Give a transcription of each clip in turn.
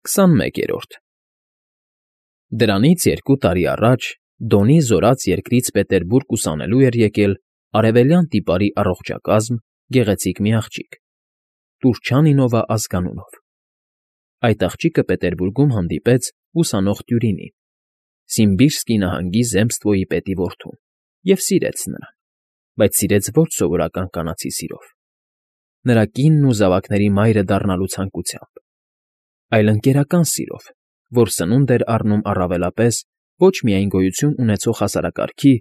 21-րդ Դրանից 2 տարի առաջ Դոնի զորաց երկրից Պետերբուրգ ուսանելու էր եկել արևելյան տիպարի առողջակազմ գեղեցիկ մի աղջիկ՝ Տուրչանինովա ազգանունով. այդ աղջիկը Պետերբուրգում հանդիպեց ուսանող Տյուրինին, Սիմբիրսկի նահանգի Զեմստվոյի պետի որդուն, և սիրեց նրան, բայց սիրեց ոչ սովորական կանացի սիրով, նրա կինն ու զավակների մայրը դառնալու ցանկությամբ, այլ ընկերական սիրով, որ սնունդ էր առնում առավելապես ոչ միայն գոյություն ունեցող հասարակարգի,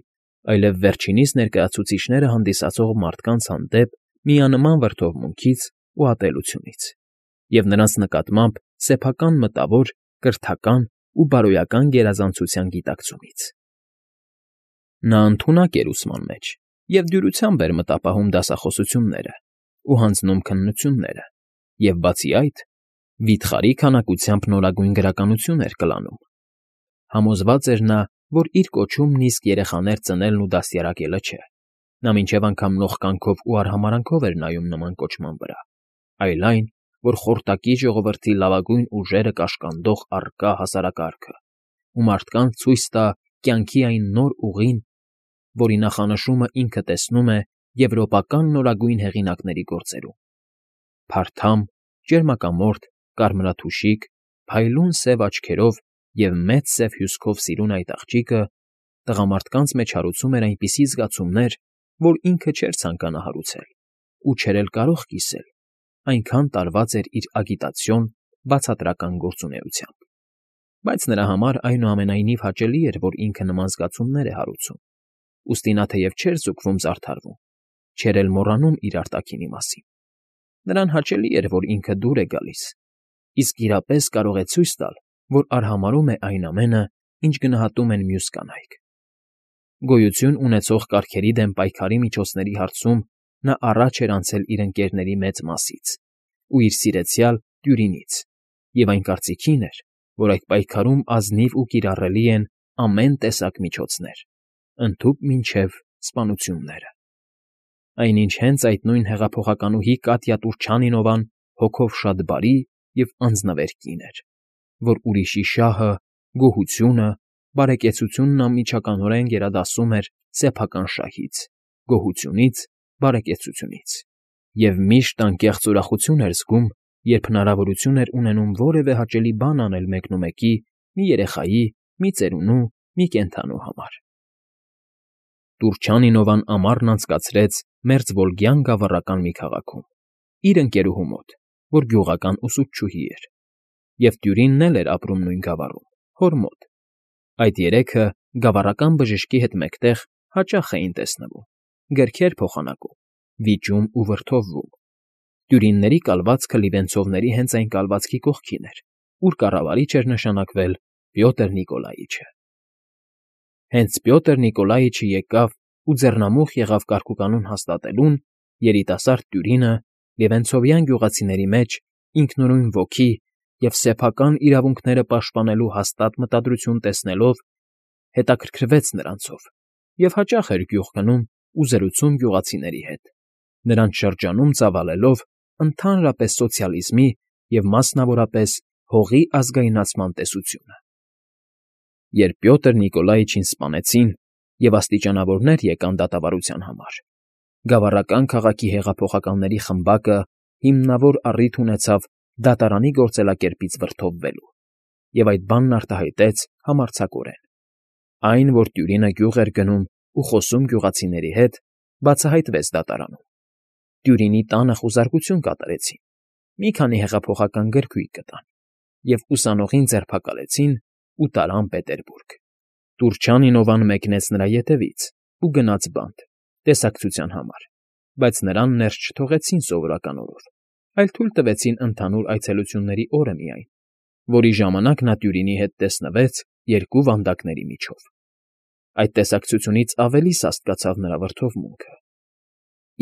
այլև վերջինիս ներկայացուցիչները հանդիսացող մարդկանց հանդեպ միանման վրդովմունքից ու ատելությունից, և նրանց նկատմամբ սեփական մտավոր, կրթական ու բարոյական գերազանցության գիտակցումից։ Նա ընդունակ էր ուսման մեջ և դյուրությամբ էր մտապահում դասախոսությունները ու հանձնում քննությունները և, բացի այդ, վիթխարի քանակությամբ նորագույն գրականություն էր կլանում։ Համոզված էր նա, որ իր կոչումն իսկ երեխաներ ծնելն ու դաստիարակելը չէ, նա մինչև անգամ նող կյանքով ու արհամարհանքով էր նայում նման կոչման վրա, այլ այն, որ խորտակի ժողովրդի լավագույն ուժերը կաշկանդող առկա հասարակարգը ու մարդկանց ցույց տա կյանքի այն նոր ուղին, որի նախանշումը ինքը տեսնում է եվրոպական նորագույն հեղինակների գործերում։ Փարթամ, ճերմակամորթ, կարմրաթուշիկ, փայլուն սև աչքերով և մեծ սև հյուսքով սիրուն այդ աղջիկը տղամարդկանց մեջ հարուցում էր այնպիսի զգացումներ, որ ինքը չէր ցանկանա հարուցել ու չէր էլ կարող կիսել, այնքան տարված էր իր ագիտացիոն բացատրական գործունեությամբ։ Բայց նրա համար այնուամենայնիվ հաճելի էր, որ ինքը նման զգացումներ է հարուցում, ուստի նա թեև չէր զուգվում զարդարվում, չէր էլ մոռանում իր արտաքինի մասին։ Նրան հաճելի էր, որ ինքը դուր է գալիս, իսկ իրապես կարող է ցույց տալ, որ արհամարհում է այն ամենը, ինչ գնահատում են մյուս կանայք։ Գոյություն ունեցող կարգերի դեմ պայքարի միջոցների հարցում նա առաջ էր անցել իր ընկերների մեծ մասից ու իր սիրեցյալ Տյուրինից, և այն կարծիքին էր, որ այդ պայքարում ազնիվ ու կիրառելի են ամեն տեսակ միջոցներ, ընդհուպ մինչև սպանությունները։ Այնինչ հենց այդ նույն հեղափոխականուհի Կատյա Տուրչանինովան հոգով շատ բարի և անձնվեր կին էր, որ ուրիշի շահը, գոհությունը, բարեկեցությունն անմիջականորեն գերադասում էր սեփական շահից, գոհությունից, բարեկեցությունից, և միշտ անկեղծ ուրախություն էր զգում, երբ հնարավորություն էր ունենում որևէ հաճելի բան անել մեկնումեկի, մի երեխայի, մի ծերունու, մի կենդանու համար։ Տուրչանինովան ամառն անցկացրեց Մերձվոլգյան գավառական մի քաղաքում, իր ընկերուհու մոտ, որ գյուղական ուսուցչուհի էր, և Տյուրինն էլ էր ապրում նույն գավառում, հոր մոտ։ Այդ երեքը գավառական բժշկի հետ մեկտեղ հաճախ էին տեսնվում, գրքեր փոխանակում, վիճում ու վրդովվում։ Տյուրինների կալվածքը լիվենցովների հենց այն կալվածքի կողքին էր, ուր կառավարիչ էր նշանակվել Պյոտր Նիկոլաիչը։ Հենց Պյոտր Նիկոլաիչը եկավ ու ձեռնամուխ եղավ կարգուկանոն հաստատելուն, երիտասարդ Տյուրինը լիվենցովյան գյուղացիների մեջ ինքնուրույն ոգի և սեփական իրավունքները պաշտպանելու հաստատ մտադրություն տեսնելով, հետաքրքրվեց նրանցով և հաճախ էր գյուղ գնում ու զրուցում գյուղացիների հետ, նրանց շրջանում ծավալելով ընդհանրապես սոցիալիզմի և մասնավորապես հողի ազգայնացման տեսությունը։ Երբ Պյոտր Նիկոլաիչին սպանեցին և աստիճանավորներ եկան դատավարության համար, գավառական քաղաքի հեղափոխականների խմբակը հիմնավոր առիթ ունեցավ դատարանի գործելակերպից վրդովվելու, և այդ բանն արտահայտեց համարձակորեն։ Այն, որ Տյուրինը գյուղ էր գնում ու խոսում գյուղացիների հետ, բացահայտվեց դատարանում։ Տյուրինի տանը խուզարկություն կատարեցին, մի քանի հեղափոխական գրքույկ գտան և ուսանողին ձերբակալեցին ու տարան Պետերբուրգ։ Տուրչանինովան մեկնեց նրա ետևից ու գնաց բանտ, տեսակցության համար, բայց նրան ներս չթողեցին սովորական օրով, այլ թույլ տվեցին ընդհանուր այցելությունների օրը միայն, որի ժամանակ նա Տյուրինի հետ տեսնվեց 2 վանդակների միջով։ Այդ տեսակցությունից ավելի սաստկացավ նրա վրդովմունքը։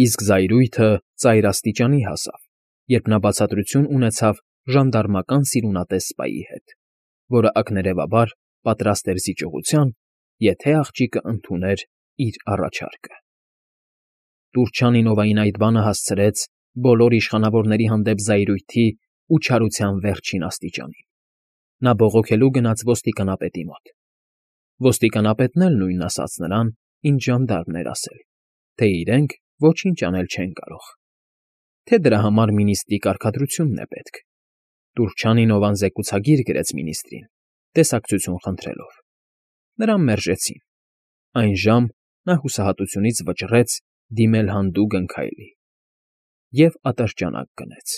Իսկ զայրույթը ծայր աստիճանի հասավ, երբ նա բացատրություն ունեցավ ժանդարմական սիրունատես սպայի հետ, որը ակներևաբար պատրաստ էր զիջողության, եթե աղջիկը ընդուներ իր առաջարկը։ Տուրչանինովային այդ բանը հասցրեց բոլոր իշխանավորների հանդեպ զայրույթի ու չարության վերջին աստիճանին։ Նա բողոքելու գնաց ոստիկանապետի մոտ։ Ոստիկանապետն էլ նույնն ասաց նրան, ինչ ժանդարմն էր ասել, թե իրենք ոչինչ անել չեն կարող, թե դրա համար մինիստրի կարգադրությունն է պետք։ Տուրջանինովան զեկուցագիր գրեց մինիստրին, տեսակցություն խնդրելով։ Նրան մերժեցին։ Այն ժամ նա հուսահատությունից վճռեց դիմել հանդուգն քայլի և ատրճանակ գնեց։